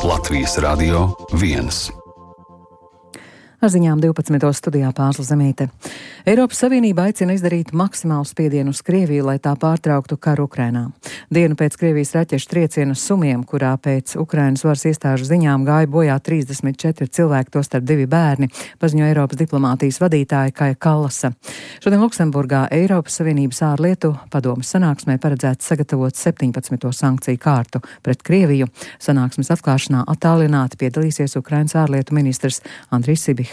Latvijas Radio 1. Ar ziņām 12. studijā Pārsla Zemīte. Eiropas Savienība aicina izdarīt maksimālu spiedienu uz Krieviju, lai tā pārtrauktu karu Ukrainā. Dienu pēc Krievijas raķešu trieciena Sumiem, kurā pēc Ukrainas varas iestāžu ziņām gāja bojā 34 cilvēki, tostarp 2 bērni, paziņo Eiropas diplomātijas vadītāja Kaja Kallasa. Šodien Luksemburgā Eiropas Savienības ārlietu padomes sanāksmē paredzēts sagatavot 17. sankciju kārtu pret Krieviju. Sanāksmes atklāšanā attālināti piedalīsies Ukrainas ārlietu ministrs Andrijs Sibiha.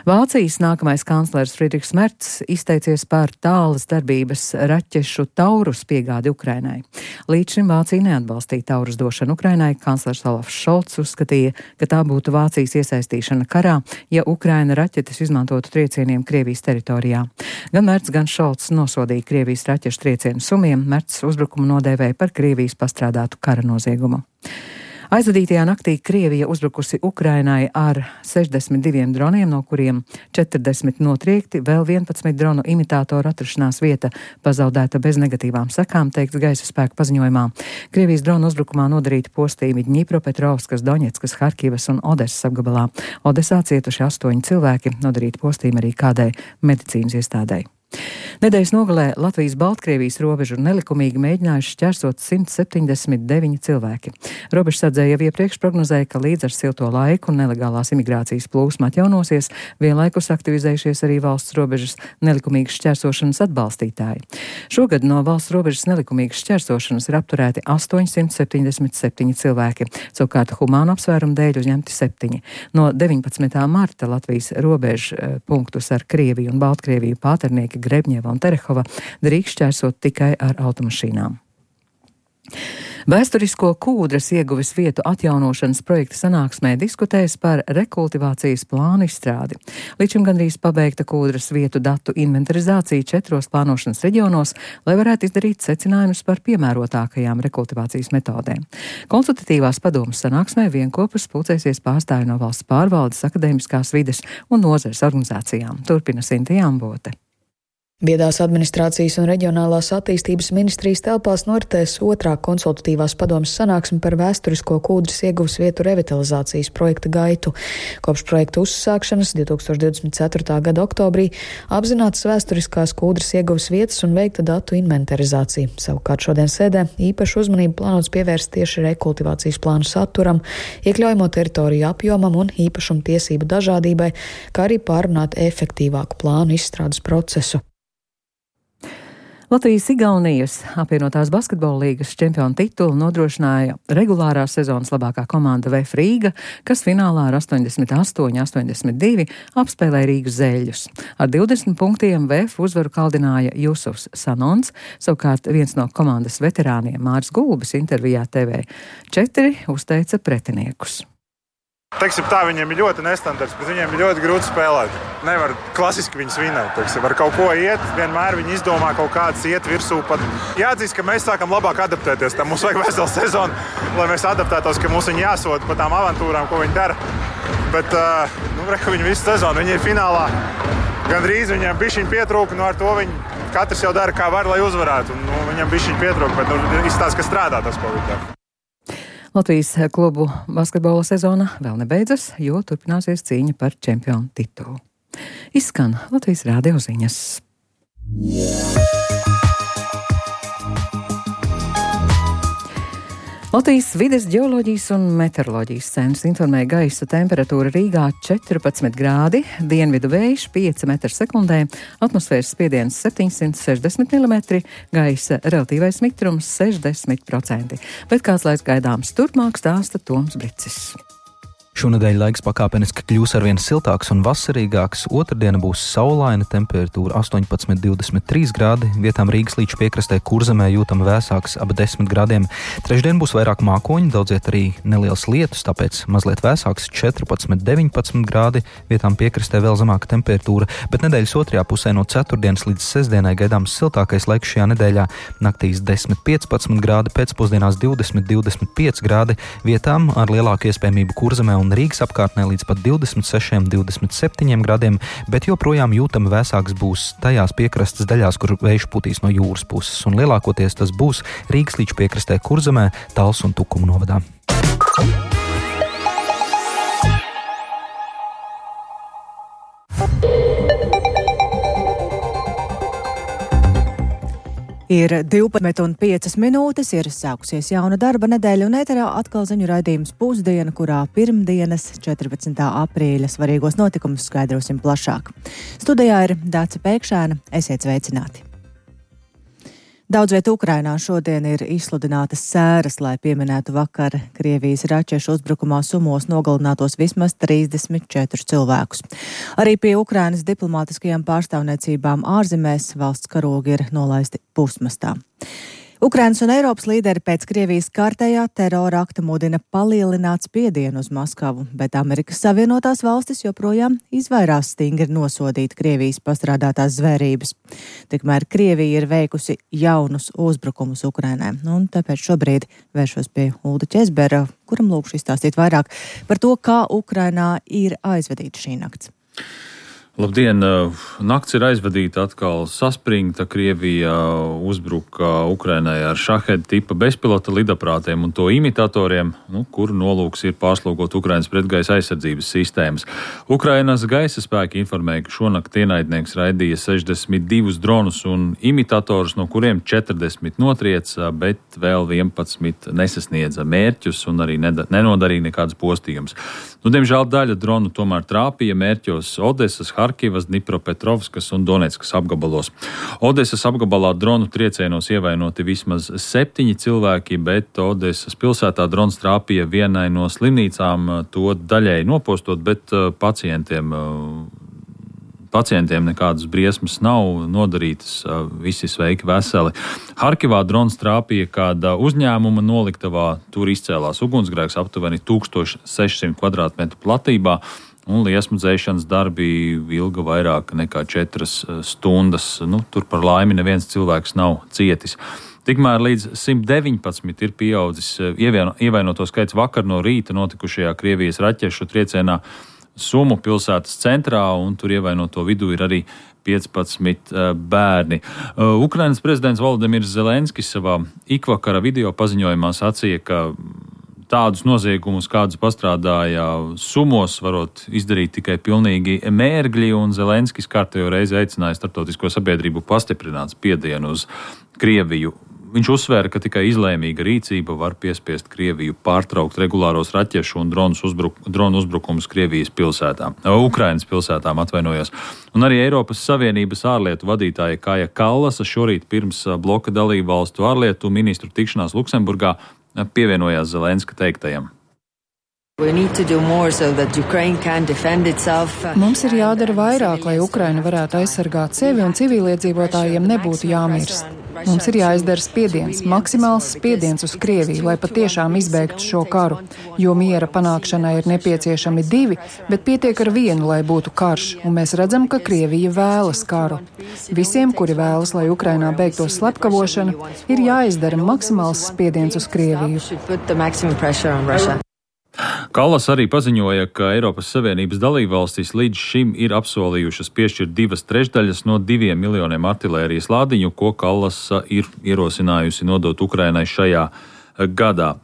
Vācijas nākamais kanclers Friedrichs Merts izteicies par tālas darbības raķešu Taurus piegādi Ukrainai. Līdz šim Vācija neatbalstīja Taurus došanu Ukrainai. Kanclers Olafs Šolts uzskatīja, ka tā būtu Vācijas iesaistīšana karā, ja Ukraina raķetes izmantotu triecieniem Krievijas teritorijā. Gan Merts, gan Šolts nosodīja Krievijas raķešu triecienu Sumiem. Merts uzbrukumu nodēvēja par Krievijas pastrādātu kara noziegumu. Aizvadītajā naktī Krievija uzbrukusi Ukrainai ar 62 droniem, no kuriem 40 notriekti, vēl 11 dronu imitātoru atrašanās vieta pazaudēta bez negatīvām sekām, teikts gaisa spēku paziņojumā. Krievijas dronu uzbrukumā nodarīti postījumi Ņipropetrovskas, Doņetskas, Harkivas un Odesas apgabalā. Odesā cietuši 8 cilvēki, nodarīti postījumi arī kādai medicīnas iestādei. Nedēļas nogalē Latvijas-Baltkrievijas robežu nelikumīgi mēģinājuši šķērsot 179 cilvēki. Robežsardzēji jau iepriekš prognozēja, ka līdz ar silto laiku nelegālās imigrācijas plūsma atjaunosies, vienlaikus aktivizējušies arī valsts robežas nelikumīgas šķērsošanas atbalstītāji. Šogad no valsts robežas nelikumīgas šķērsošanas ir apturēti 877 cilvēki, savukārt humānu apsvērumu dēļ uzņemti 7. No 19. marta Latvijas robežu punktus ar Krieviju un Baltkrieviju Pāternieki, Grebņeva un Terehova drīkst šķērsot tikai ar automašīnām. Vēsturisko Kūdras ieguves vietu atjaunošanas projekta sanāksmē diskutēs par rekultivācijas plānu izstrādi. Līdz šim gandrīz pabeigta Kūdras vietu datu inventarizācija 4 plānošanas reģionos, lai varētu izdarīt secinājumus par piemērotākajām rekultivācijas metodēm. Konsultatīvās padomes sanāksmē vienopus pulcēsies pārstāvji no valsts pārvaldes, akadēmiskās vides un nozares organizācijām. Turpina Sinta Jambote. Viedās administrācijas un reģionālās attīstības ministrijas telpās noritēs 2. konsultatīvās padomes sanāksme par vēsturisko Kūdras ieguves vietu revitalizācijas projekta gaitu. Kopš projekta uzsākšanas 2024. gada oktobrī apzinātas vēsturiskās Kūdras ieguves vietas un veikta datu inventarizācija. Savukārt šodien sēdē īpašu uzmanību plānots pievērst tieši rekultivācijas plānu saturam, iekļaujamo teritoriju apjomam un īpašumu tiesību dažādībai, kā arī pārunāt efektīvāku plānu izstrādes procesu. Latvijas-Igaunijas apvienotās basketbola līgas čempionu titulu nodrošināja regulārās sezonas labākā komanda VF Rīga, kas finālā ar 88-82 apspēlēja Rīgas Zeļļus. Ar 20 punktiem VF uzvaru kaldināja Jusufs Sanons, savukārt viens no komandas veterāniem Māris Gulbis intervijā TV4 uzteica pretiniekus. Teiksim tā, viņiem ir ļoti nestandarts, bet viņiem ir ļoti grūti spēlēt. Nevar klasiski viņus vinēt, teiksim, var kaut ko iet, vienmēr viņi izdomā kaut kādas iet virsū. Pat jāatzīst, ka mēs sākam labāk adaptēties, tam mums vajag veselu sezonu, lai mēs adaptētos, ka mums viņi jāsoda pa tām avantūrām, ko viņi dara. Bet, viņi visu sezonu, viņi ir finālā, gandrīz viņiem bišķiņ pietrūka, ar to viņi katrs jau dara kā var, lai uzvarētu. Viņam bišķiņ pietrūka, bet izstāsta, ka strādā tas, ko viņi dara. Latvijas klubu basketbola sezona vēl nebeidzas, jo turpināsies cīņa par čempionu titulu. Izskan Latvijas radio ziņas. Latvijas vides ģeoloģijas un meteoroloģijas centrs informēja gaisa temperatūra Rīgā 14 grādi, dienvidu vējš 5 m/sekundē, atmosfēras spiediens 760 mm, gaisa relatīvais mitrums 60%. Bet kāds laiks gaidāms turpmāk, stāsta Toms Bricis. Šonedēļ laiks pakāpeniski kļūs arvien siltāks un vasarīgāks. Otrdiena būs saulaina, temperatūra 18-23 grādi, vietām Rīgas līča piekrastē Kurzemē jūtama vēsāks ap 10 grādiem. Trešdien būs vairāk mākoņu, daudziet arī neliels lietus, tāpēc mazliet vēsāks 14-19 grādi, vietām piekrastē vēl zemāka temperatūra, bet nedēļas otrajā pusē no ceturtdienas līdz sestdienai gaidāms siltākais laiks šajā nedēļā. Naktīs 10-15 grādi, pēcpusdienās 20-25 grādi, vietām ar lielāku iespējamību Kurzemē un Rīgas apkārtnē līdz pat 26-27 grādiem, bet joprojām jūtami vēsāks būs tajās piekrastes daļās, kur vējš putīs no jūras puses, un lielākoties tas būs Rīgas līča piekrastē Kurzemē, Talsu un Tukumu novadā. Ir 12:05, ir sākusies jauna darba nedēļa un ēterā atkal ziņu raidījums Pusdiena, kurā pirmdienas 14. aprīļa svarīgos notikumus skaidrosim plašāk. Studijā ir Dāca Pēkšēna, esiet sveicināti! Daudz viet Ukrainā šodien ir izsludinātas sēras, lai pieminētu vakar Krievijas raķešu uzbrukumā Sumos nogalinātos vismaz 34 cilvēkus. Arī pie Ukrainas diplomātiskajām pārstāvniecībām ārzemēs valsts karogi ir nolaisti pusmastā. Ukrainas un Eiropas līderi pēc Krievijas kārtējā terora akta mudina palielināt spiedienu uz Maskavu, bet Amerikas Savienotās valstis joprojām izvairās stingri nosodīt Krievijas pastrādātās zvērības. Tikmēr Krievija ir veikusi jaunus uzbrukumus Ukrainai, un tāpēc šobrīd vēršos pie Ulda Ķezbera, kuram lūkšu izstāstīt vairāk par to, kā Ukrainā ir aizvadīta šī nakts. Labdien! Nakts ir aizvadīta atkal saspringta. Krievija uzbruka Ukrainai ar šaheda tipa bezpilota lidaprātiem un to imitatoriem, kuru nolūks ir pārslogot Ukrainas pretgaisa aizsardzības sistēmas. Ukrainas gaisa spēki informēja, ka šonakt ienaidnieks raidīja 62 dronus un imitatorus, no kuriem 40 notrieca, bet vēl 11 nesasniedza mērķus un arī nenodarīja nekādas postījumus. Diemžēl daļa dronu tomēr trāpīja mērķos Odesas, Harkivas, Dnipropetrovskas un Donetskas apgabalos. Odesas apgabalā dronu triecienos ievainoti vismaz 7 cilvēki, bet Odesas pilsētā drons trāpīja vienai no slimnīcām, to daļēji nopostot, bet pacientiem nekādas briesmas nav nodarītas, visi sveiki veseli. Harkivā drons trāpīja kāda uzņēmuma noliktavā, tur izcēlās ugunsgrēks aptuveni 1600 kvadrātmetru platībā, un liesmu dzēšanas darbi ilga vairāk nekā 4 stundas. Tur par laimi neviens cilvēks nav cietis. Tikmēr līdz 119 ir pieaudzis ievainoto skaits vakar no rīta notikušajā Krievijas raķešu triecienā Sumu pilsētas centrā, un tur ievainoto vidū ir arī 15 bērni. Ukrainas prezidents Volodimirs Zelenskis savā ikvakara video paziņojumā sacīja, ka tādus noziegumus, kādus pastrādāja Sumos, varot izdarīt tikai pilnīgi mērgļi, un Zelenskis kārtējo reizi aicināja starptautisko sabiedrību pastiprināt spiedienu uz Krieviju. Viņš uzsvēra, ka tikai izlēmīga rīcība var piespiest Krieviju pārtraukt regulāros raķešu un dronu uzbrukumus Ukrainas pilsētām, atvainojos. Un arī Eiropas Savienības ārlietu vadītāja Kaja Kallasa šorīt pirms bloka dalību valstu ārlietu ministru tikšanās Luksemburgā pievienojās Zelenska teiktajam. Mums ir jādara vairāk, lai Ukraina varētu aizsargāt sevi un civiliedzīvotājiem nebūtu jāmirst. Mums ir jāizdara spiediens, maksimāls spiediens uz Krieviju, lai patiešām izbeigtu šo karu, jo miera panākšanai ir nepieciešami 2, bet pietiek ar 1, lai būtu karš, un mēs redzam, ka Krievija vēlas karu. Visiem, kuri vēlas, lai Ukrainā beigtos slepkavošana, ir jāizdara maksimāls spiediens uz Krieviju. Kallas arī paziņoja, ka Eiropas Savienības dalībvalstis līdz šim ir apsolījušas piešķirt 2/3 no 2 miljoniem artilērijas lādiņu, ko Kallas ir ierosinājusi nodot Ukrainai šajā gadā.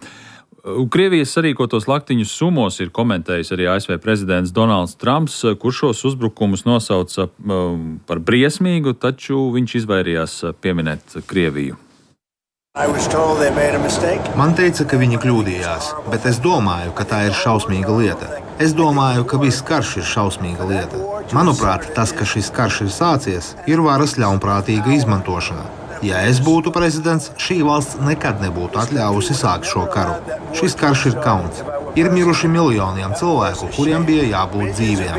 Krievijas sarīkotos laktiņus Sumos ir komentējis arī ASV prezidents Donalds Trumps, kurš šos uzbrukumus nosauca par briesmīgu, taču viņš izvairījās pieminēt Krieviju. Man teica, ka viņi kļūdījās, bet es domāju, ka tā ir šausmīga lieta. Es domāju, ka viss karš ir šausmīga lieta. Manuprāt, tas, ka šis karš ir sācies, ir varas ļaunprātīga izmantošana. Ja es būtu prezidents, šī valsts nekad nebūtu atļāvusi sākt šo karu. Šis karš ir kauns. Ir miruši miljoniem cilvēku, kuriem bija jābūt dzīviem.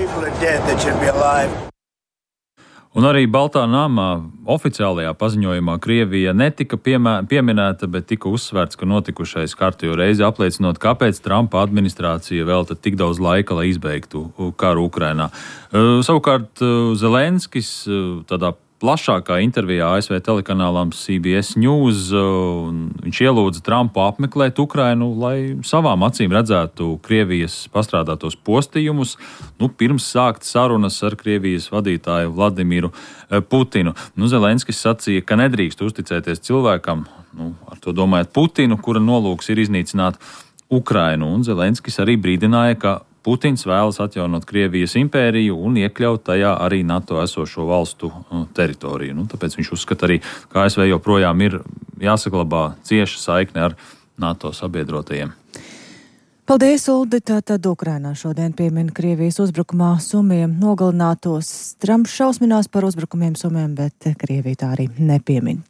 Un arī Baltā namā oficiālajā paziņojumā Krievija netika pieminēta, bet tika uzsvērts, ka notikušais kārtējo reizi apliecinot, kāpēc Trumpa administrācija velta tik daudz laika, lai izbeigtu karu Ukrainā. Savukārt Zelenskis tādā plašākā intervijā ASV telekanālam CBS News viņš ielūdza Trumpu apmeklēt Ukrainu, lai savām acīm redzētu Krievijas pastrādātos postījumus, pirms sākt sarunas ar Krievijas vadītāju Vladimiru Putinu. Zelenskis sacīja, ka nedrīkst uzticēties cilvēkam, ar to domājot Putinu, kura nolūks ir iznīcināt Ukrainu, un Zelenskis arī brīdināja, ka Putins vēlas atjaunot Krievijas impēriju un iekļaut tajā arī NATO esošo valstu teritoriju. Tāpēc viņš uzskata arī, ka ASV joprojām ir jāsaglabā cieša saikne ar NATO sabiedrotajiem. Paldies, Uldi. Tātad Ukrainā šodien piemina Krievijas uzbrukumā Sumiem nogalinātos. Trumps šausminās par uzbrukumiem Sumiem, bet Krievija tā arī nepiemin.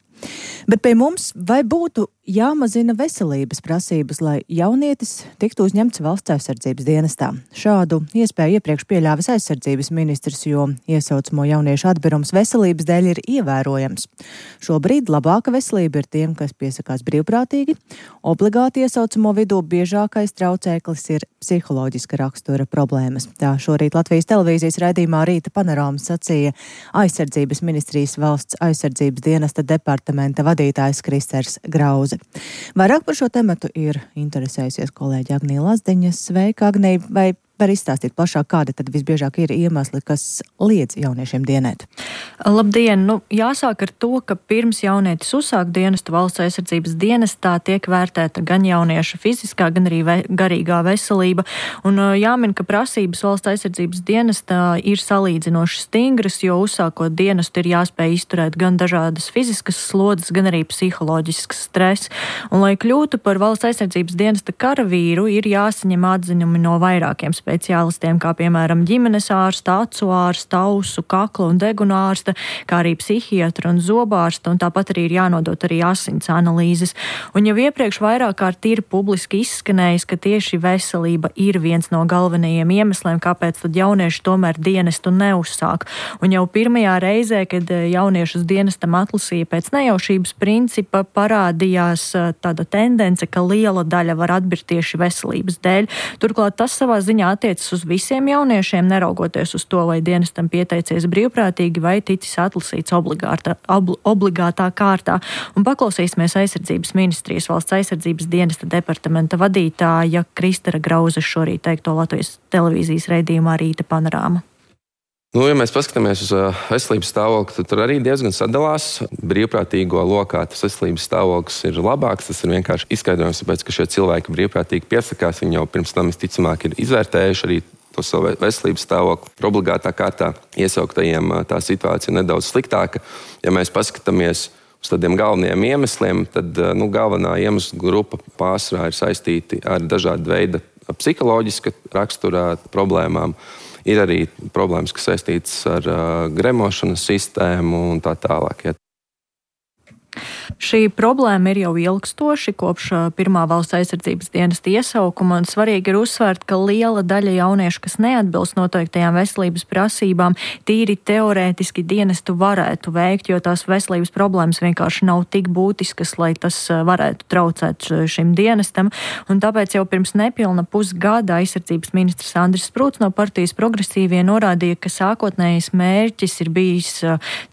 Bet pie mums vai būtu jāmazina veselības prasības, lai jaunietis tiktu uzņemts valsts aizsardzības dienestā? Šādu iespēju iepriekš pieļāvis aizsardzības ministrs, jo iesaucamo jauniešu atbirums veselības dēļ ir ievērojams. Šobrīd labāka veselība ir tiem, kas piesakās brīvprātīgi. Obligāti iesaucamo vidū biežākais traucēklis ir psiholoģiska rakstura problēmas. Tā šorīt Latvijas televīzijas raidījumā Rīta panorāma sacīja aizsardzības ministrijas valsts aizsardzības dienesta departamenta vadītājs Kristers Grauze. Vairāk par šo tematu ir interesējusies kolēģi Agnija Lazdiņa. Sveika, Agnija! Vai var izstāstīt plašāk, kādi tad visbiežāk ir iemesli, kas liedz jauniešiem dienēt? Labdien! Jāsāk ar to, ka pirms jaunietis uzsāk dienestu valsts aizsardzības dienestā tiek vērtēta gan jaunieša fiziskā, gan arī garīgā veselība. Un jāmin, ka prasības valsts aizsardzības dienestā ir salīdzinoši stingras, jo uzsākot dienestu ir jāspēj izturēt gan dažādas fiziskas slodzes, gan arī psiholoģisks stress. Un, lai kļūtu par valsts aizsardzības dienesta karavīru, ir jāsaņem atziņumi no vairākiem speciālistiem, kā piemēram ģimenes ārsta, acu ārsta, ausu, kakla un deguna ārsta, kā arī psihiatra un zobārsta, un tāpat arī ir jānodot arī asins analīzes. Un jau iepriekš vairāk kārt ir publiski izskanējis, ka tieši veselība ir viens no galvenajiem iemesliem, kāpēc tad jaunieši tomēr dienestu neuzsāk. Un jau pirmajā reizē, kad jauniešus dienestam atlasīja pēc nejaušības principa, parādījās tāda tendence, ka liela daļa var atbirt tieši veselības dēļ. Turklāt tas savā ziņā attiecas uz visiem jauniešiem, neraugoties uz to, vai dienestam pieteicies brīvprātīgi vai ticis atlasīts obligātā kārtā. Un paklausīsimies aizsardzības ministrijas valsts aizsardzības dienesta departamenta vadītāja Kristera Grauze šorīt teikto Latvijas televīzijas raidījumā Rīta panorāma. Ja mēs paskatāmies uz veselības stāvokli, tad tur arī diezgan sadalās. Brīvprātīgo lokā tas veselības stāvoklis ir labāks. Tas ir vienkārši izskaidrojums, tāpēc, ka šie cilvēki brīvprātīgi piesakās. Viņi jau pirms tam visticamāk ir izvērtējuši arī to savu veselības stāvokli. Obligātā kārtā iesauktajiem tā situācija ir nedaudz sliktāka. Ja mēs paskatāmies uz tādiem galvenajiem iemesliem, tad galvenā iemesla grupa pārsvarā ir saistīti ar dažādu veidu psiholoģiska rakstura problēmām. Ir arī problēmas, kas saistītas ar gremošanas sistēmu un tā tālāk. Ja. Šī problēma ir jau ilgstoši kopš pirmā valsts aizsardzības dienesta iesaukuma, un svarīgi ir uzsvērt, ka liela daļa jauniešu, kas neatbilst noteiktajām veselības prasībām, tīri teorētiski dienestu varētu veikt, jo tās veselības problēmas vienkārši nav tik būtiskas, lai tas varētu traucēt šim dienestam. Un tāpēc jau pirms nepilna pusgada aizsardzības ministrs Andris Sprūts no partijas Progresīvie norādīja, ka sākotnējais mērķis ir bijis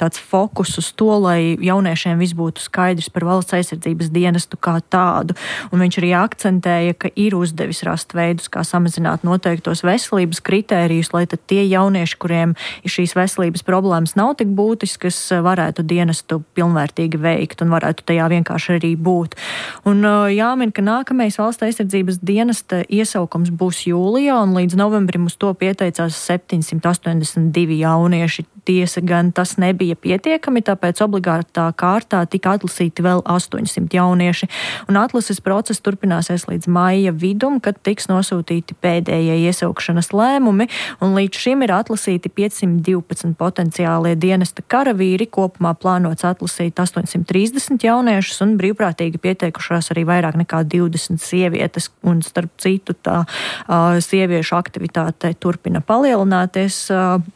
tāds fokus uz to, lai jauniešiem viss būtu skaidrs par valsts aizsardzības dienestu kā tādu. Un viņš arī akcentēja, ka ir uzdevis rast veidus, kā samazināt noteiktos veselības kritērijus, lai tad tie jaunieši, kuriem šīs veselības problēmas nav tik būtiskas, varētu dienestu pilnvērtīgi veikt un varētu tajā vienkārši arī būt. Un jāmin, ka nākamais valsts aizsardzības dienesta iesaukums būs jūlijā, un līdz novembrim uz to pieteicās 782 jaunieši. Tiesa gan tas nebija pietiekami, tāpēc obligātā kārtā tika atlasīti vēl 800 jaunieši. Un atlases process turpināsies līdz maija vidum, kad tiks nosūtīti pēdējie iesaukšanas lēmumi, un līdz šim ir atlasīti 512 potenciālie dienesta karavīri. Kopumā plānots atlasīt 830 jauniešus, un brīvprātīgi pieteikušās arī vairāk nekā 20 sievietes, un starp citu tā sieviešu aktivitāte turpina palielināties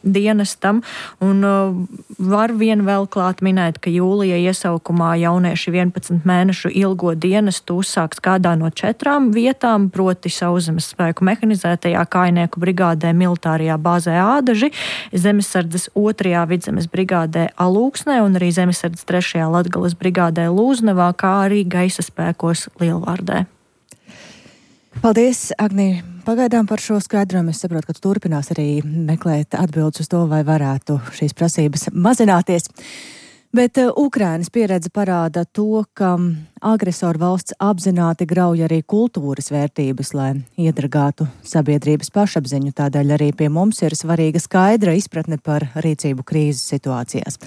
dienestam. Un var vien vēl klāt minēt, ka jūlija iesaukumā jaunieši 11 mēnešu ilgo dienestu uzsāks kādā no 4 vietām, proti Sauszemes spēku mehanizētajā kājnieku brigādē militārajā bāzē Ādaži, Zemesardzes 2. vidzemes brigādē Alūksnē un arī Zemesardzes 3. Latgales brigādē Lūznavā, kā arī gaisa spēkos Lielvārdē. Paldies, Agnija. Pagaidām par šo skaidrojumu. Es saprotu, ka tu turpinās arī meklēt atbildes uz to, vai varētu šīs prasības mazināties. Bet Ukrainas pieredze parāda to, ka agresoru valsts apzināti grauj arī kultūras vērtības, lai iedragātu sabiedrības pašapziņu. Tādēļ arī pie mums ir svarīga skaidra izpratne par rīcību krīzes situācijās.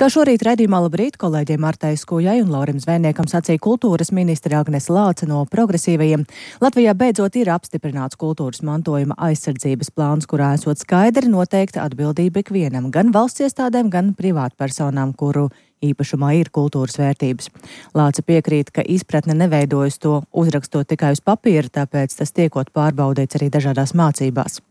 Kā šorīt raidījumā Labrīt kolēģiem Martai Skujai un Laurim Zvejniekam sacīja kultūras ministre Agnese Lāce no Progresīvajiem, Latvijā beidzot ir apstiprināts kultūras mantojuma aizsardzības plāns, kurā esot skaidri noteikta atbildība ikvienam, gan valsts iestādēm, gan privātpersonām, kuru īpašumā ir kultūras vērtības. Lāce piekrīt, ka izpratne neveidojas to uzrakstot tikai uz papīra, tāpēc tas tiekot pārbaudīts arī dažādās mācībās.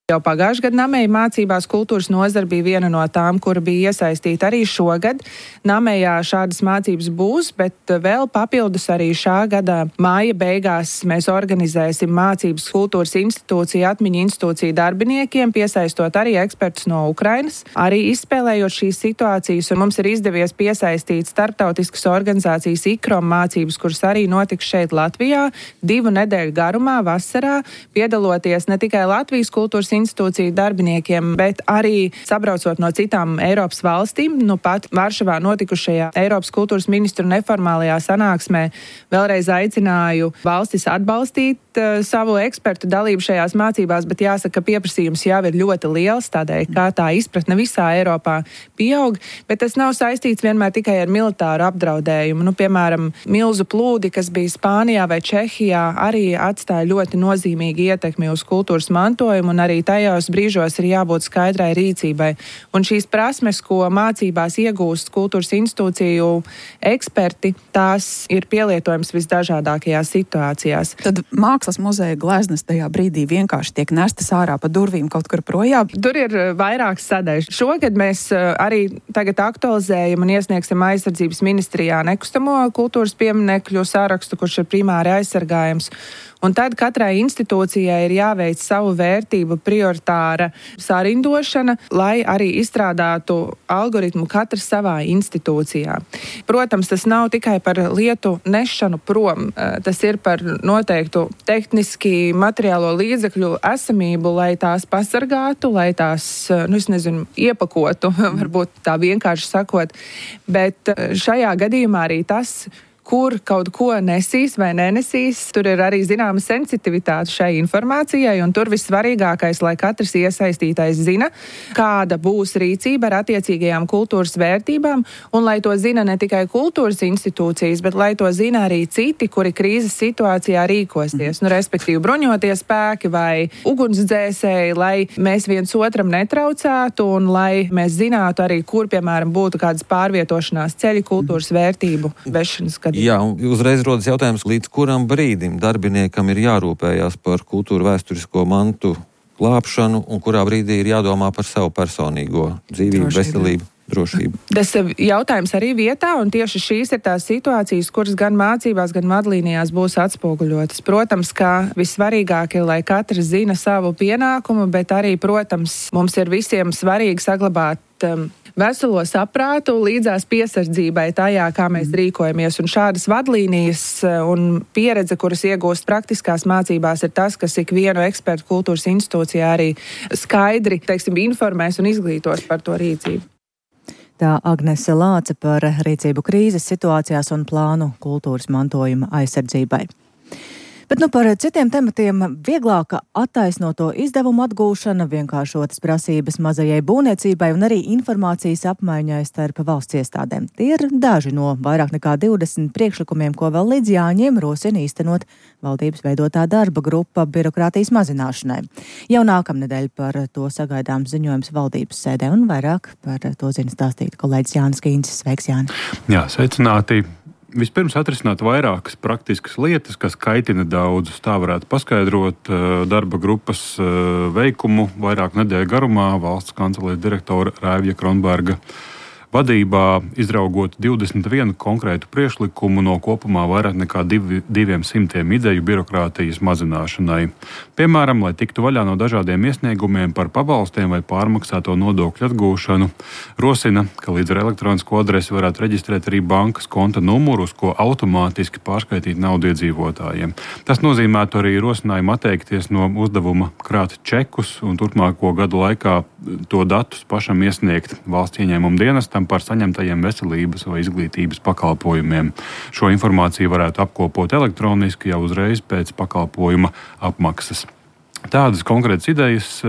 Jau pagājušajā gadā Namēja mācībās kultūras nozara bija viena no tām, kura bija iesaistīta arī šogad. Namējā šādas mācības būs, bet vēl papildus arī šā gada māja beigās mēs organizēsim mācības kultūras institūciju, atmiņu institūciju darbiniekiem, piesaistot arī ekspertus no Ukrainas. Arī izspēlējot šīs situācijas, un mums ir izdevies piesaistīt starptautiskas organizācijas IKROM mācības, kuras arī notiks šeit Latvijā 2 nedēļu garumā vasarā, piedaloties ne tikai Latvijas kultūras institūciju darbiniekiem, bet arī sabraucot no citām Eiropas valstīm. Nu pat Varšavā notikušajā Eiropas kultūras ministru neformālajā sanāksmē vēlreiz aicināju valstis atbalstīt savu ekspertu dalību šajās mācībās, bet jāsaka, ka pieprasījums jau ir ļoti liels, tādēļ, kā tā izpratne visā Eiropā pieaug, bet tas nav saistīts vienmēr tikai ar militāru apdraudējumu. Nu, piemēram, milzu plūdi, kas bija Spānijā vai Čehijā, arī atstāja ļoti nozīmīgi ietekmi uz kultūras mantojumu, un arī tajos brīžos ir jābūt skaidrai rīcībai. Un šīs prasmes, ko mācībās iegūst kultūras institūciju eksperti, tās ir pielietojams visdažādākajās situācijās. Tad Mākslas muzeja gleznas tajā brīdī vienkārši tiek nestas ārā pa durvīm kaut kur projām? Tur ir vairākas sadaļas. Šogad mēs arī tagad aktualizējam un iesniegsim aizsardzības ministrijā nekustamo kultūras pieminekļu sārakstu, kurš ir primāri aizsargājams. Un tad katrai institūcijai ir jāveic savu vērtību prioritāra sarindošana, lai arī izstrādātu algoritmu katrs savā institūcijā. Protams, tas nav tikai par lietu nešanu prom, tas ir par noteiktu tehniski materiālo līdzekļu esamību, lai tās pasargātu, lai tās, iepakotu, varbūt tā vienkārši sakot. Bet šajā gadījumā arī tas, kur kaut ko nesīs vai nenesīs, tur ir arī zināma sensitivitāte šai informācijai, un tur vissvarīgākais, lai katrs iesaistītais zina, kāda būs rīcība ar attiecīgajām kultūras vērtībām, un lai to zina ne tikai kultūras institūcijas, bet lai to zina arī citi, kuri krīzes situācijā rīkosies. Respektīvi bruņotie spēki vai ugunsdzēsēji, lai mēs viens otram netraucētu, un lai mēs zinātu arī, kur, piemēram, būtu kādas pārvietošanās ceļi kultūras vērtību vešanas gadījumā. Jā, uzreiz rodas jautājums, līdz kuram brīdim darbiniekam ir jārūpējās par kultūra vēsturisko mantu glābšanu un kurā brīdī ir jādomā par savu personīgo dzīvību, veselību, drošību. Tas jautājums arī vietā, un tieši šīs ir tās situācijas, kuras gan mācībās, gan vadlīnijās būs atspoguļotas. Protams, ka vissvarīgāk ir, lai katrs zina savu pienākumu, bet arī, protams, mums ir visiem svarīgi saglabāt veselo saprātu līdzās piesardzībai tajā, kā mēs rīkojamies. Un šādas vadlīnijas un pieredze, kuras iegūst praktiskās mācībās, ir tas, kas ikvienu ekspertu kultūras institūcijā arī skaidri, informēs un izglītos par to rīcību. Tā Agnese Lāce par rīcību krīzes situācijās un plānu kultūras mantojuma aizsardzībai. Bet par citiem tematiem vieglāka attaisnoto izdevumu atgūšana, vienkāršotas prasības mazajai būvniecībai un arī informācijas apmaiņai starp valsts iestādēm. Tie ir daži no vairāk nekā 20 priekšlikumiem, ko vēl līdz jāņem rosina īstenot valdības veidotā darba grupa birokrātijas mazināšanai. Jau nākamnedēļ par to sagaidām ziņojums valdības sēdē, un vairāk par to zina stāstīt kolēģis Jānis Kīncis. Sveiks, Jāni! Jā, sveicināti! Vispirms atrisināt vairākas praktiskas lietas, kas kaitina daudzus. Tā varētu paskaidrot darba grupas veikumu vairāk nedēļu garumā valsts kancelēs direktora Raivija Kronberga vadībā, izraugot 21 konkrētu priekšlikumu no kopumā vairāk nekā 200 ideju birokrātijas mazināšanai. Piemēram, lai tiktu vaļā no dažādiem iesniegumiem par pabalstiem vai pārmaksāto nodokļu atgūšanu, rosina, ka līdz ar elektronisko adresi varētu reģistrēt arī bankas konta numuru, uz ko automātiski pārskaitīt naudu iedzīvotājiem. Tas nozīmētu arī rosinājumu atteikties no uzdevuma krāt čekus un turpmāko gadu laikā to datus pašam iesniegt valsts ieņēmuma dienestam piemēram, par saņemtajiem veselības vai izglītības pakalpojumiem. Šo informāciju varētu apkopot elektroniski jau uzreiz pēc pakalpojuma apmaksas. Tādas konkrētas idejas,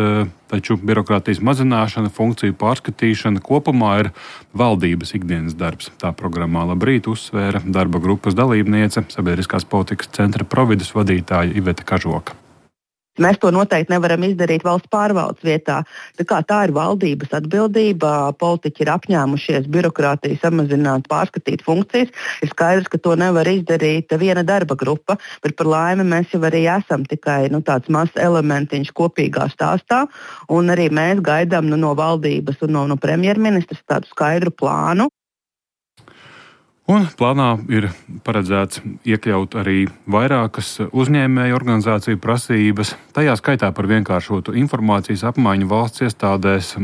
taču birokrātijas mazināšana, funkciju pārskatīšana kopumā ir valdības ikdienas darbs. Tā programmā Labrīt uzsvēra darba grupas dalībniece, Sabiedriskās politikas centra Providus vadītāja Iveta Kažoka. Mēs to noteikti nevaram izdarīt valsts pārvaldes vietā. Tā ir valdības atbildība. Politiķi ir apņēmušies birokrātiju samazināt, pārskatīt funkcijas. Ir skaidrs, ka to nevar izdarīt viena darba grupa, bet par laimi mēs jau arī esam tikai tāds mazs elementiņš kopīgā stāstā. Un arī mēs gaidām no valdības un no premjerministras tādu skaidru plānu. Un plānā ir paredzēts iekļaut arī vairākas uzņēmēju organizāciju prasības, tajā skaitā par vienkāršotu informācijas apmaiņu valsts iestādēs,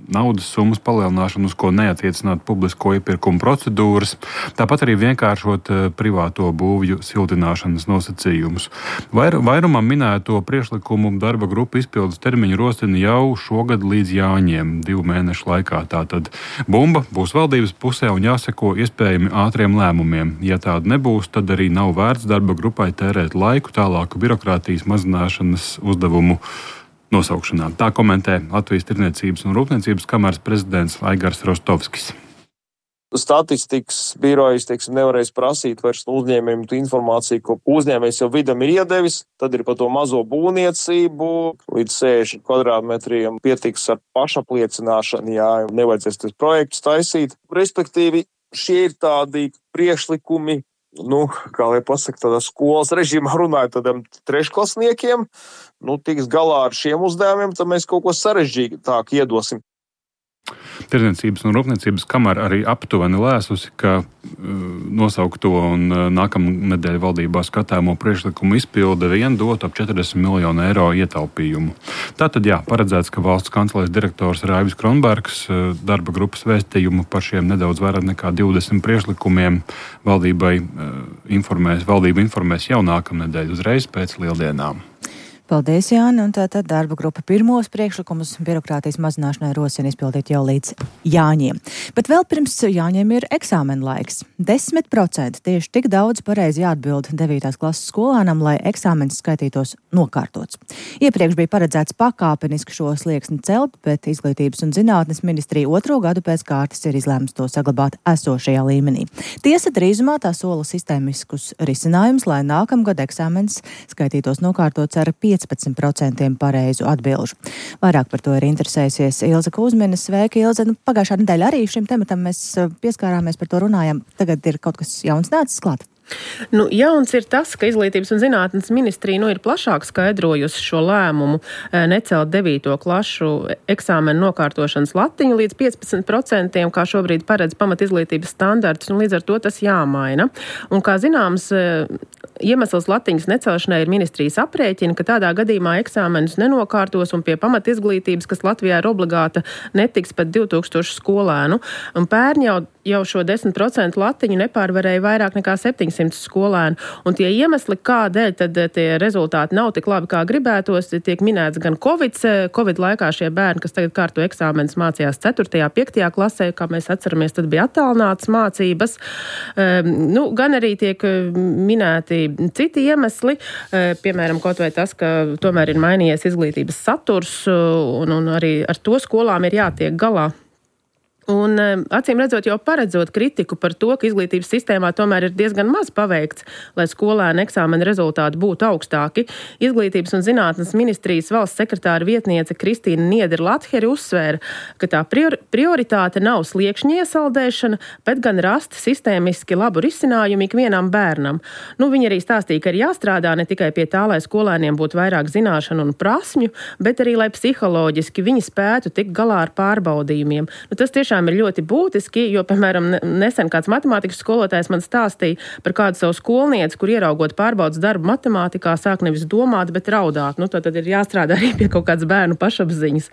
naudas summas palielināšanu, uz ko neatiecināt publisko iepirkumu procedūras, tāpat arī vienkāršot privāto būvju siltināšanas nosacījumus. Vairumam minēto priekšlikumu darba grupa izpildes termiņu rosina jau šogad līdz Jāņiem, 2 mēnešu laikā. Tātad bumba būs valdības pusē un jāseko iespējami ātriem lēmumiem. Ja tāda nebūs, tad arī nav vērts darba grupai tērēt laiku tālāku birokrātijas mazināšanas uzdevumu nosaukšanā. Tā komentē Latvijas Tirdzniecības un Rūpniecības kameras prezidents Aigars Rostovskis. Statistikas birojas, nevarēs prasīt vairs no uzņēmējiem informāciju, ko uzņēmējs jau vidam ir iedevis, tad ir par to mazo būvniecību, līdz 60 kvadrātmetriem pietiks ar pašapliecināšanu, jā, nevajadzēs tas projekts taisīt. Respektīvi, šie ir tādi priekšlikumi, kā lai pasaka, tādā skolas režīmā runājot tādiem trešklasniekiem, tiks galā ar šiem uzdevumiem, tad mēs kaut ko sarežģītāk iedosim. Tirdzniecības un Rūpniecības kamera arī aptuveni lēsusi, ka nosaukto un nākamnedēļ valdībā skatāmo priekšlikumu izpilde vien dot ap 40 miljonu eiro ietaupījumu. Tātad, paredzēts, ka valsts kancelēs direktors Raivis Kronbergs darba grupas vēstījumu par šiem nedaudz vairāk nekā 20 priekšlikumiem valdība informēs jau nākamnedēļ uzreiz pēc lieldienām. Paldies, Jāni, un tātad darba grupa pirmos priekšlikumus birokrātijas mazināšanai rosina izpildīt jau līdz Jāņiem. Bet vēl pirms Jāņiem ir eksāmena laiks. 10% tieši tik daudz pareizi jāatbild 9. klases skolēnam, lai eksāmenis skaitītos nokārtots. Iepriekš bija paredzēts pakāpeniski šo slieksni celt, bet Izglītības un zinātnes ministrija 2. gadu pēc kārtas ir izlēmusi to saglabāt esošajā līmenī. Tiesa drīzumā tā sola sistēmiskus risinājumus, lai nākamgad eksāmenis skaitītos nokārtots ar 15% pareizu atbilžu. Vairāk par to ir interesējusies Ilze Kuzmina. Sveika, Ilze. Pagājušā nedēļa arī šim tematam mēs pieskārāmies, par to runājam. Tagad ir kaut kas jauns nācis klāt. Jauns ir tas, ka Izglītības un zinātnes ministrija ir plašāk skaidrojusi šo lēmumu necelt 9. klašu eksāmenu nokārtošanas latiņu līdz 15%, kā šobrīd paredz pamatizglītības standarts, un līdz ar to tas jāmaina. Un kā zināms, iemesls latiņas necelšanai ir ministrijas aprēķina, ka tādā gadījumā eksāmenus nenokārtos un pie pamatizglītības, kas Latvijā ir obligāta, netiks pat 2000 skolēnu. Un pērn jau šo 10% latiņu nepārvarēja vairāk nekā 700 skolēnu. Un tie iemesli, kādēļ tad tie rezultāti nav tik labi, kā gribētos, tiek minēts gan Covid laikā šie bērni, kas tagad kārto eksāmenus mācījās 4., 5. klasē, kā mēs atceramies, tad bija attālinātas mācības. Gan arī tiek minēti citi iemesli, piemēram, kaut vai tas, ka tomēr ir mainījies izglītības saturs un arī ar to skolām ir jātiek galā. Un acīm redzot, jau paredzot kritiku par to, ka izglītības sistēmā tomēr ir diezgan maz paveikts, lai skolēnu eksāmena rezultāti būtu augstāki. Izglītības un zinātnes ministrijas valsts sekretāra vietniece Kristīna Niedera-Latheri uzsvēra, ka tā prioritāte nav sliekšņa iesaldēšana, bet gan rast sistēmiski labu risinājumu ikvienam bērnam. Viņa arī stāstīja, ka ir jāstrādā ne tikai pie tā, lai skolēniem būtu vairāk zināšanu un prasmju, bet arī, lai psiholoģiski viņi spētu tikt galā ar pārbaudījumiem. Tas tiešām ir ļoti būtiski, jo, piemēram, nesen kāds matemātikas skolotājs man stāstīja par kādu savu skolnieci, kur ieraugot pārbaudas darbu matemātikā, sāk nevis domāt, bet raudāt. Tad ir jāstrādā arī pie kaut kādas bērnu pašapziņas.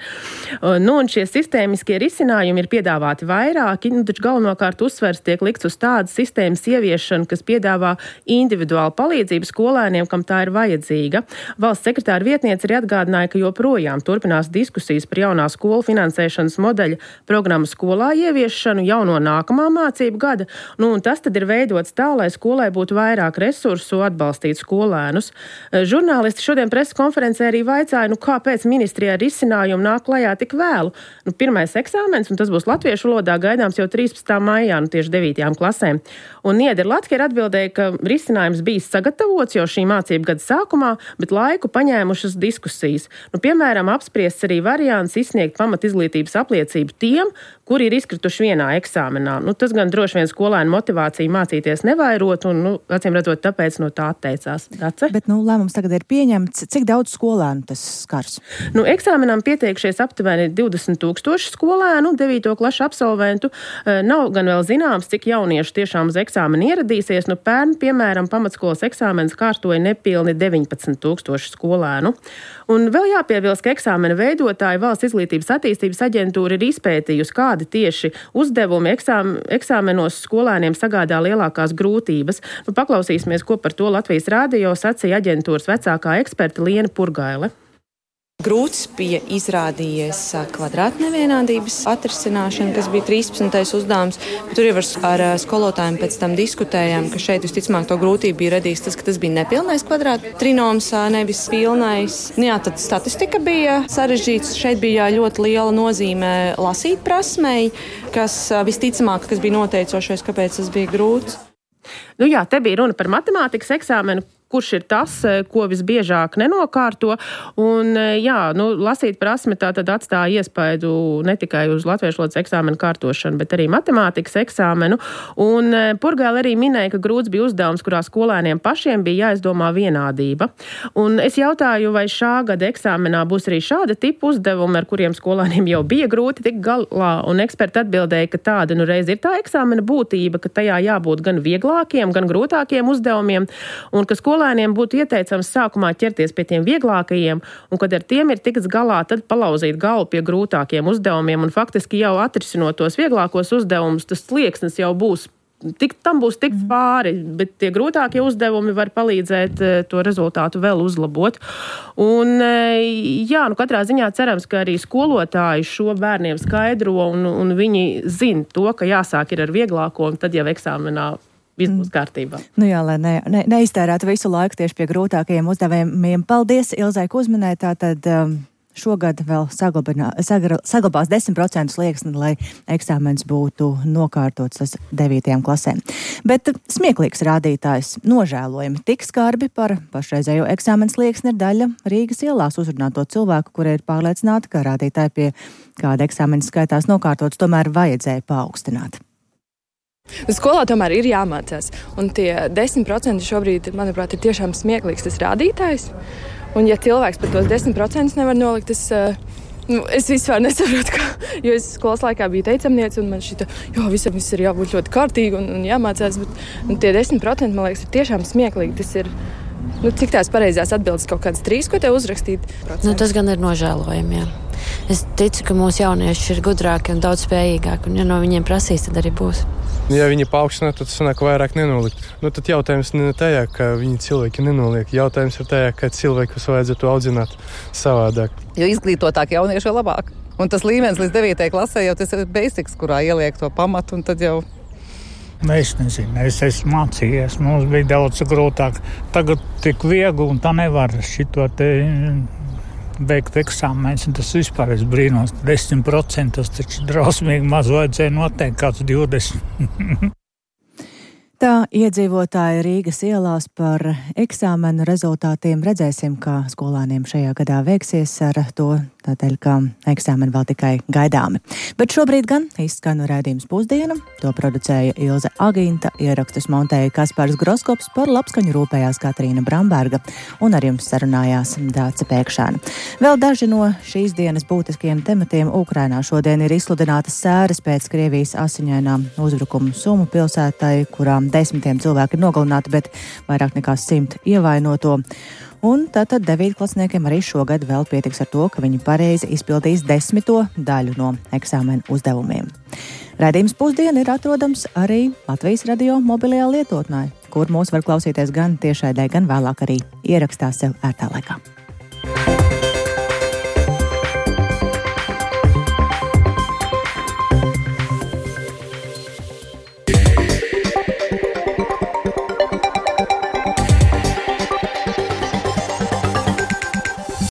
Un šie sistēmiskie risinājumi ir piedāvāti vairāki, taču galvenokārt uzsvers tiek likts uz tādas sistēmas ieviešanu, kas piedāvā individuālu palīdzību skolēniem, kam tā ir vajadzīga. Valsts sekretāra vietniece arī atgādināja, ka joprojām turpinās diskusijas par jaunā skolu finansēšanas modeļa programmu skolu skolā ieviešanu jau no nākamā mācību gada, un tas tad ir veidots tā, lai skolai būtu vairāk resursu atbalstīt skolēnus. Žurnālisti šodien preses konferencē arī vaicāja, kāpēc ministrijā risinājumu nāk klajā tik vēlu. Pirmais eksāmens, un tas būs latviešu valodā, gaidāms jau 13. maijā, tieši 9. klasēm. Un Niedra Latke ir atbildēja, ka risinājums bijis sagatavots jau šī mācību gada sākumā, bet laiku paņēmušas diskusijas. Piemēram, apspriests arī variants izsniegt pamatizglītības apliecību tiem, kuri ir izkrituši vienā eksāmenā. Tas gan droši vien skolēnu motivāciju mācīties nevairot, un, acīm redzot, tāpēc no tā atteicās. Dace? Bet, lēmums tagad ir pieņemts. Cik daudz skolēnu tas skars? Eksāmenam pieteikšies aptuveni 20,000 skolēnu, 9. klašu absolventu. Nav gan vēl zināms, cik jaunieši tiešām uz eksāmenu ieradīsies. Pērn, piemēram, pamatskolas eksāmenes kārtoja nepilni 19,000 skolēnu. Un vēl jāpiebilst, ka eksāmena veidotāja Valsts izglītības attīstības aģentūra ir izpētījusi, kādi tieši uzdevumi eksāmenos skolēniem sagādā lielākās grūtības. Paklausīsimies, ko par to Latvijas radio sacīja aģentūras vecākā eksperta Liena Purgaile. Grūts bija izrādījies kvadrātnevienādības atrisināšana, kas bija 13. uzdevums. Tur jau ar skolotājiem pēc tam diskutējām, ka šeit visticamāk to grūtību bija radījis tas, ka tas bija nepilnais kvadrāta trinoms, nevis pilnais. Tad statistika bija sarežģīts. Šeit bija ļoti liela nozīme lasīt prasmei, kas visticamāk, kas bija noteicošais, kāpēc tas bija grūts. Te bija runa par matemātikas eksāmenu, kurš ir tas, ko visbiežāk nenokārto. Un, lasīt prasme tā tad atstāja iespaidu ne tikai uz latviešu valodas eksāmenu kārtošanu, bet arī matemātikas eksāmenu. Un Purgaile arī minēja, ka grūts bija uzdevums, kurā skolēniem pašiem bija jāizdomā vienādība. Un es jautāju, vai šā gada eksāmenā būs arī šāda tipa uzdevumi, ar kuriem skolēniem jau bija grūti tikt galā. Un eksperti atbildēja, ka tāda reiz ir tā eksāmena būtība, ka tajā jābūt gan vieglākiem, gan grūtākiem uzdevumiem, un ka skolēniem būtu ieteicams sākumā ķerties pie tiem vieglākajiem, un kad ar tiem ir tikts galā, tad palauzīt galvu pie grūtākiem uzdevumiem, un faktiski jau atrisinot tos vieglākos uzdevumus, tas slieksnis jau būs. Tam būs tikts pāri, bet tie grūtākie uzdevumi var palīdzēt to rezultātu vēl uzlabot. Un, katrā ziņā cerams, ka arī skolotāji šo bērniem skaidro, un viņi zina to, ka jāsāk ir ar vieglāko, un tad jau eksāmenā viss būs kārtībā. Lai neiztērētu visu laiku tieši pie grūtākajiem uzdevumiem. Paldies, Ilzai, ka uzminēja. Tātad šogad vēl saglabās 10% slieksni, lai eksāmens būtu nokārtots tas 9. klasēm. Bet smieklīgs rādītājs nožēlojami tik skarbi par pašreizējo eksāmens slieksni ir daļa Rīgas ielās uzrunāto cilvēku, kuri ir pārliecināti, ka rādītāji pie kāda eksāmena skaitās nokārtots tomēr vajadzēja paaugstināt. Skolā tomēr ir jāmācās, un tie 10% šobrīd, manuprāt, ir tiešām smieklīgs tas rādītājs. Un ja cilvēks par tos 10% nevar nolikt, es vispār nesaprotu, jo es skolas laikā biju teicamniece, un man šita, visam viss ir jābūt ļoti kārtīgi un jāmācās, bet tie 10%, man liekas, ir tiešām smieklīgi. Tas ir, cik tās pareizās atbildes kaut kādas 3, ko tev uzrakstīt? Tas gan ir nožēlojami, jā. Es ticu, ka mūsu jaunieši ir gudrāki un daudz spējīgāki, un ja no viņiem prasīs, tad arī būs. Ja viņi paaugstina, tad sanāk vairāk nenolikt. Tad jautājums ne tajā, ka viņi cilvēki nenoliek. Jautājums ir tajā, ka cilvēkus vajadzētu audzināt savādāk. Jo izglītotāk jaunieši ir labāk. Un tas līmenis līdz 9. klasē jau tas ir basics, kurā ieliek to pamatu, un tad jau... Es nezinu, es esmu mācījies, mums bija daudz grūtāk. Tagad tik viegli, un tā nevar šito te beigt eksāmens, un tas vispār es brīnos. 10% tas taču drausmīgi maz vajadzēja noteikt kāds 20%. Tā iedzīvotāji Rīgas ielās par eksāmenu rezultātiem. Redzēsim, kā skolāniem šajā gadā veiksies ar to, tādēļ, ka eksāmeni vēl tikai gaidāmi. Bet šobrīd gan izskan raidījums Pusdiena. To producēja Ilze Agīnta, ierakstus montēja Kaspars Groskops, par labskaņu rūpējās Katrīna Bramberga un ar jums sarunājās Dāce Pēkšēna. Vēl daži no šīs dienas būtiskajiem tematiem. Ukrainā šodien ir izsludinātas sēras pēc Krievijas asiņainām uzbrukumu Sumu pilsētai, kurām 10 cilvēki ir nogalināti, bet vairāk nekā 100 ievainoto. Un tātad 9-klasniekiem arī šogad vēl pietiks ar to, ka viņi pareizi izpildīs 10. daļu no eksāmena uzdevumiem. Raidījums Pusdiena ir atrodams arī Latvijas radio mobilajā lietotnē, kur mūs var klausīties gan tiešraidē, gan vēlāk arī ierakstā sev ērtā laikā.